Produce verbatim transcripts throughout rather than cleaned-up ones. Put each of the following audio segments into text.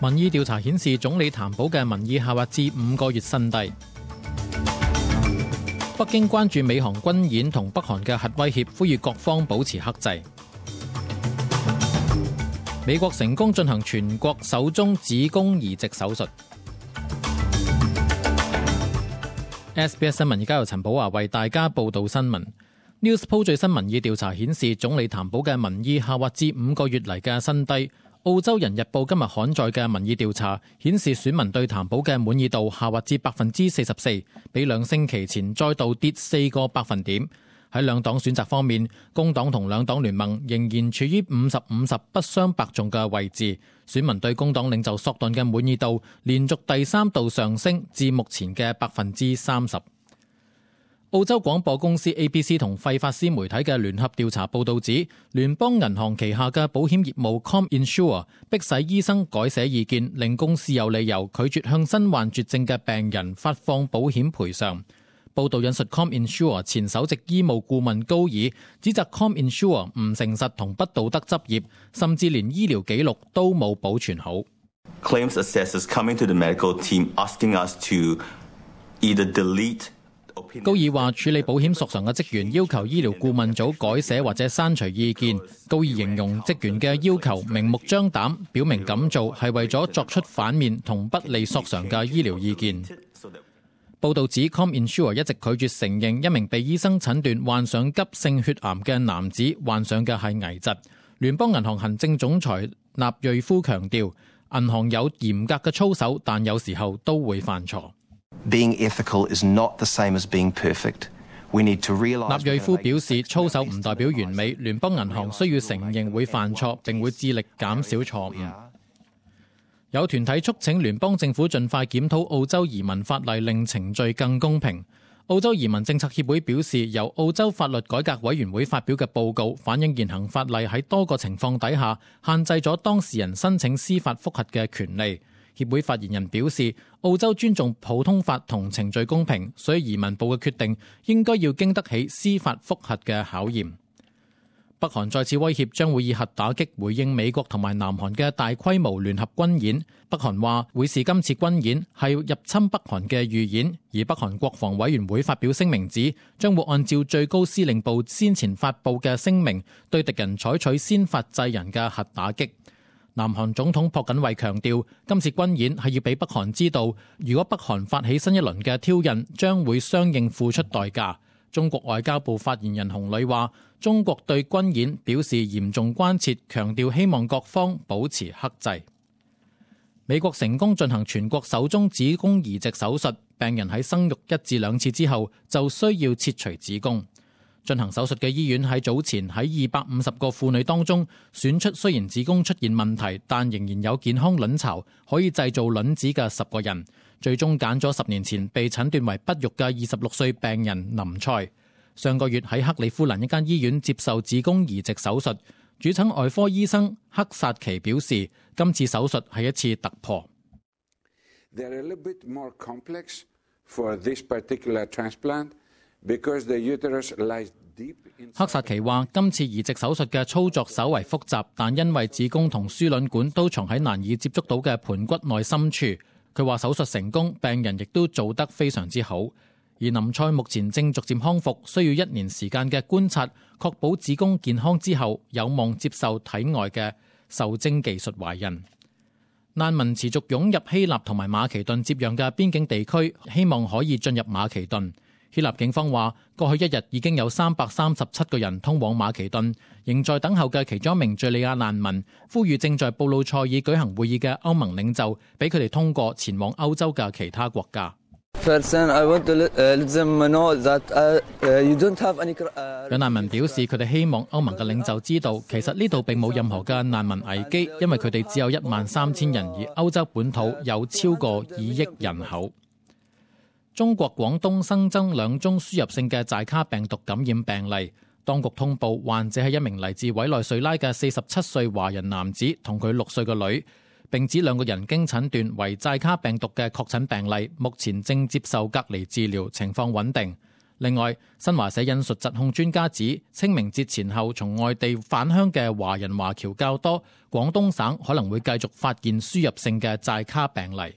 民意調查顯示，總理譚寶嘅民意下滑至五個月新低。北京關注美韓軍演同北韓嘅核威脅，呼籲各方保持克制。美國成功進行全國首宗子宮移植手術。S B S 新聞而家由陳寶華為大家報道新聞。Newspoll 最新民意調查顯示，總理譚寶嘅民意下滑至五個月嚟嘅新低。澳洲人日報今日刊載嘅民意調查顯示，選民對譚寶嘅滿意度下滑至百分之四十四，比兩星期前再度跌四個百分點。喺兩黨選擇方面，工黨同兩黨聯盟仍然處於五十五十不相伯仲嘅位置。選民對工黨領袖索頓嘅滿意度連續第三度上升至目前嘅百分之三十。澳洲廣播公司 A B C 同費法斯媒體嘅聯合調查報導指，聯邦銀行旗下嘅保險業務 ComInsure 迫使醫生改寫意見，令公司有理由拒絕向身患絕症嘅病人發放保險賠償。報導引述 ComInsure 前首席醫務顧問高爾，指責 ComInsure 唔誠實同不道德執業，甚至連醫療記錄都冇保存好。Claims assessors coming to the medical team asking us to either delete高爾話，處理保險索償嘅職員要求醫療顧問組改寫或者刪除意見。高爾形容職員嘅要求明目張膽，表明咁做係為咗作出反面同不利索償嘅醫療意見。報導指 ComInsure 一直拒絕承認一名被醫生診斷患上急性血癌嘅男子患上嘅係危疾。聯邦銀行行政總裁納瑞夫強調，銀行有嚴格嘅操守，但有時候都會犯錯。Being ethical is not the same as being perfect. We need to realize. 納瑞夫表示，操守唔代表完美，聯邦銀行需要承認會犯錯，並會致力減少錯誤。有團體促請聯邦政府盡快檢討澳洲移民法例，令程序更公平。澳洲移民政策協會表示，由澳洲法律改革委員會發表嘅報告反映現行法例喺多個情況底下限制咗當事人申請司法覆核嘅權利。協會發言人表示，澳洲尊重普通法同程序公平，所以移民部嘅決定應該要經得起司法覆核嘅考驗。北韓再次威脅將會以核打擊回應美國同埋南韓嘅大規模聯合軍演。北韓話會視今次軍演係入侵北韓嘅預演，而北韓國防委員會發表聲明指，將會按照最高司令部先前發布嘅聲明，對敵人採取先發制人嘅核打擊。南韓總統朴槿惠強調，今次軍演係要俾北韓知道，如果北韓發起新一輪嘅挑釁，將會相應付出代價。中國外交部發言人洪磊話，中國對軍演表示嚴重關切，強調希望各方保持克制。美國成功進行全國首宗子宮移植手術，病人喺生育一至兩次之後就需要切除子宮。進行手術嘅醫院喺早前喺二百五十個婦女當中選出雖然子宮出現問題，但仍然有健康卵巢可以製造卵子嘅十個人，最終揀咗十年前被診斷為不育嘅二十六歲病人林賽。上個月喺克里夫蘭一間醫院接受子宮移植手術，主診外科醫生克薩奇表示，今次手術係一次突破。克薩奇話，今次移植手術嘅操作稍為複雜，但因為子宮同輸卵管都藏喺難以接觸到嘅盆骨內深處。佢話手術成功，病人亦都做得非常之好。而林賽目前正逐漸康復，需要一年時間嘅觀察，確保子宮健康之後，有望接受體外嘅受精技術懷孕。難民持續湧入希臘同埋馬其頓接壤嘅邊境地區，希望可以進入馬其頓。希臘警方話，過去一日已經有三百三十七個人通往馬其頓，仍在等候嘅其中一名敘利亞難民，呼籲正在布魯塞爾舉行會議嘅歐盟領袖，俾佢哋通過前往歐洲嘅其他國家。有難民表示，佢哋希望歐盟嘅領袖知道，其實呢度並冇任何嘅難民危機，因為佢哋只有一萬三千人，而歐洲本土有超過二億人口。中國廣東新增兩宗輸入性嘅寨卡病毒感染病例，當局通報患者係一名嚟自委內瑞拉嘅四十七歲華人男子同佢六歲嘅女，並指兩個人經診斷為寨卡病毒嘅確診病例，目前正接受隔離治療，情況穩定。另外，新華社引述疾控專家指，清明節前後從外地返鄉嘅華人華僑較多，廣東省可能會繼續發現輸入性嘅寨卡病例。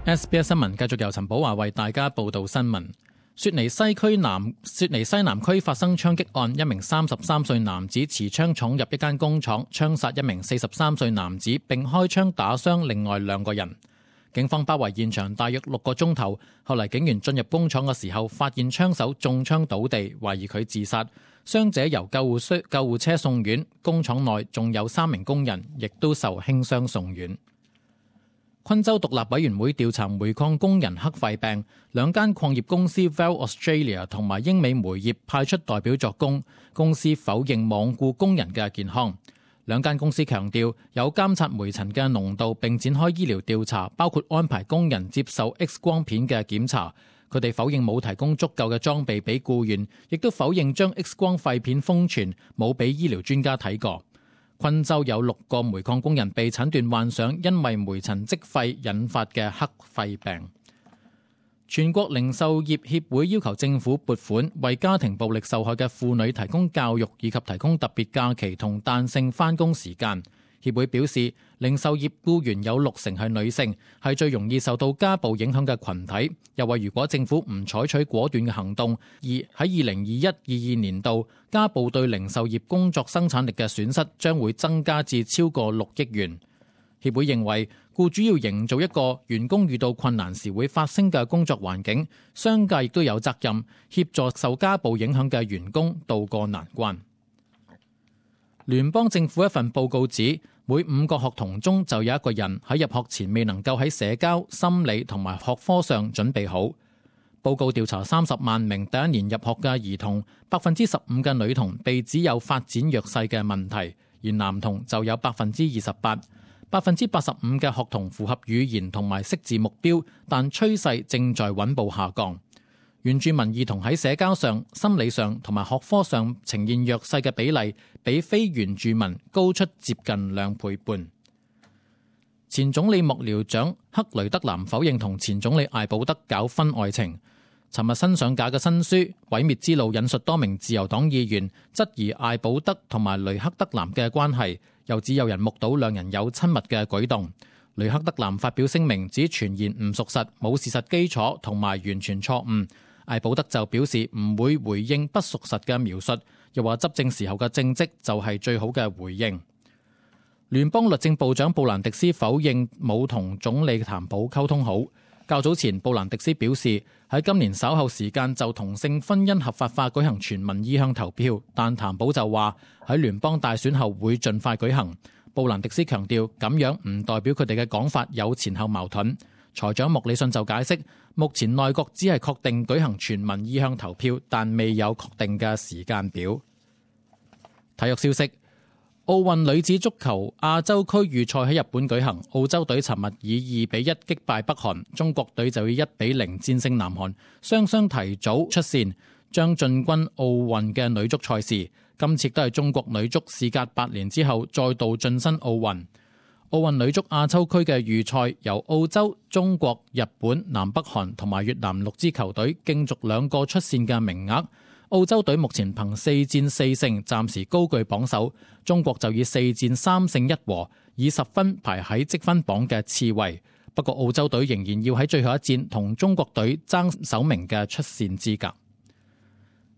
S B S 新聞繼續由陳寶華為大家報道新聞。雪梨西區南雪梨西南區發生槍擊案，一名三十三歲男子持槍闖入一間工廠，槍殺一名四十三歲男子，並開槍打傷另外兩個人。警方包圍現場大約六個鐘頭，後嚟警員進入工廠嘅時候，發現槍手中槍倒地，懷疑佢自殺。傷者由救護車救護車送院，工廠內仲有三名工人，亦都受輕傷送院。昆州獨立委員會調查煤礦工人黑肺病，兩間礦業公司 Val Australia 同埋英美煤業派出代表作供，公司否認罔顧工人嘅健康。兩間公司強調有監察煤塵嘅濃度，並展開醫療調查，包括安排工人接受 X 光片嘅檢查。佢哋否認冇提供足夠嘅裝備俾僱員，亦都否認將 X 光肺片封存，冇俾醫療專家睇過。昆州有六個煤礦工人被診斷患上因為煤塵積肺引發嘅黑肺病。全國零售業協會要求政府撥款，為家庭暴力受害嘅婦女提供教育，以及提供特別假期同彈性返工時間。協會表示，零售業僱員有六成係女性，係最容易受到家暴影響嘅群體。又話如果政府唔採取果斷嘅行動，而喺二零二一、二二年度，家暴對零售業工作生產力嘅損失將會增加至超過六億元。協會認為，僱主要營造一個員工遇到困難時會發聲嘅工作環境，商界亦都有責任協助受家暴影響嘅員工渡過難關。聯邦政府一份報告指，每五個學童中就有一個人喺入學前未能夠喺社交、心理同埋學科上準備好。報告調查三十萬名第一年入學嘅兒童，百分之十五嘅女童被指有發展弱勢嘅問題，而男童就有百分之二十八。百分之八十五嘅學童符合語言同埋識字目標，但趨勢正在穩步下降。原住民兒童喺社交上、心理上同埋學科上呈現弱勢嘅比例，比非原住民高出接近兩倍半。前總理幕僚長克雷德南否認同前總理艾保德搞婚外情。尋日新上架嘅新書《毀滅之路》引述多名自由黨議員質疑艾保德同埋雷克德南嘅關係，又指有人目睹兩人有親密嘅舉動。雷克德南發表聲明指傳言唔屬實，冇事實基礎同埋完全錯誤。艾保德就表示唔會回應不屬實嘅描述，又話執政時候嘅政績就係最好嘅回應。聯邦律政部長布蘭迪斯否認冇同總理譚普溝通好。較早前，布蘭迪斯表示喺今年稍後時間就同性婚姻合法化舉行全民意向投票，但譚普就話喺聯邦大選後會盡快舉行。布蘭迪斯強調咁樣唔代表佢哋嘅講法有前後矛盾。財長莫里遜就解釋，目前內閣只係確定舉行全民意向投票，但未有確定嘅時間表。體育消息，奧運女子足球亞洲區預賽喺日本舉行，澳洲隊尋日以二比一擊敗北韓，中國隊就以一比零戰勝南韓，雙雙提早出線，將進軍奧運嘅女足賽事。今次都係中國女足事隔八年之後再度晉身奧運。奧運女足亞洲區嘅預賽由澳洲、中國、日本、南北韓同埋越南六支球隊競逐兩個出線嘅名額。澳洲隊目前憑四戰四勝，暫時高居榜首。中國就以四戰三勝一和，以十分排喺積分榜嘅次位。不過澳洲隊仍然要喺最後一戰同中國隊爭首名嘅出線資格。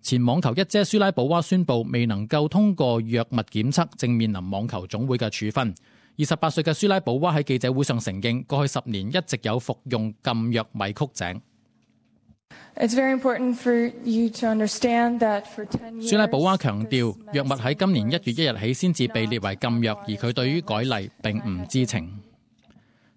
前網球一姐舒拉寶娃宣布未能夠通過藥物檢測，正面臨網球總會嘅處分。二十八歲嘅舒拉寶娃喺記者會上承認，過去十年一直有服用禁藥米曲井。舒拉寶娃強調，藥物喺今年一月一日起先至被列為禁藥，而佢對於改例並唔知情。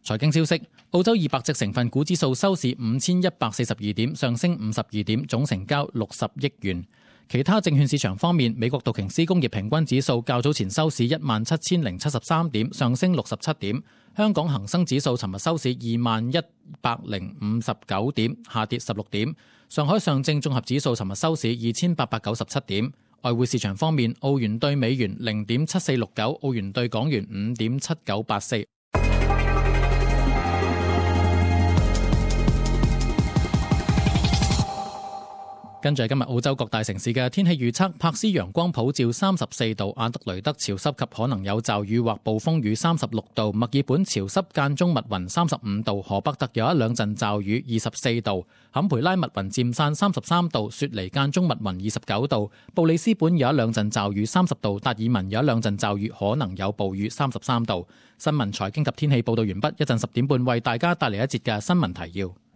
財經消息，澳洲二百隻成分股指數收市五千一百四十二點，上升五十二點，總成交六十億元。其他證券市場方面，美國道瓊斯工業平均指數較早前收市一萬七千零七十三點，上升六十七點。香港恒生指數尋日收市二萬一百零五十九點，下跌十六點。上海上證綜合指數尋日收市二千八百九十七點。外匯市場方面，澳元對美元零點七四六九，澳元對港元五點七九八四。跟住今日澳洲各大城市嘅天氣預測，柏斯陽光普照三十四度，阿德雷德潮濕及可能有驟雨或暴風雨三十六度，墨爾本潮濕間中密雲三十五度，荷伯特有一兩陣驟雨二十四度，坎培拉密雲漸散三十三度，雪梨間中密雲二十九度，布里斯本有一兩陣驟雨三十度，達爾文有一兩陣驟雨可能有暴雨三十三度。新聞財經及天氣報道完畢，一陣十點半為大家帶嚟一節嘅新聞提要。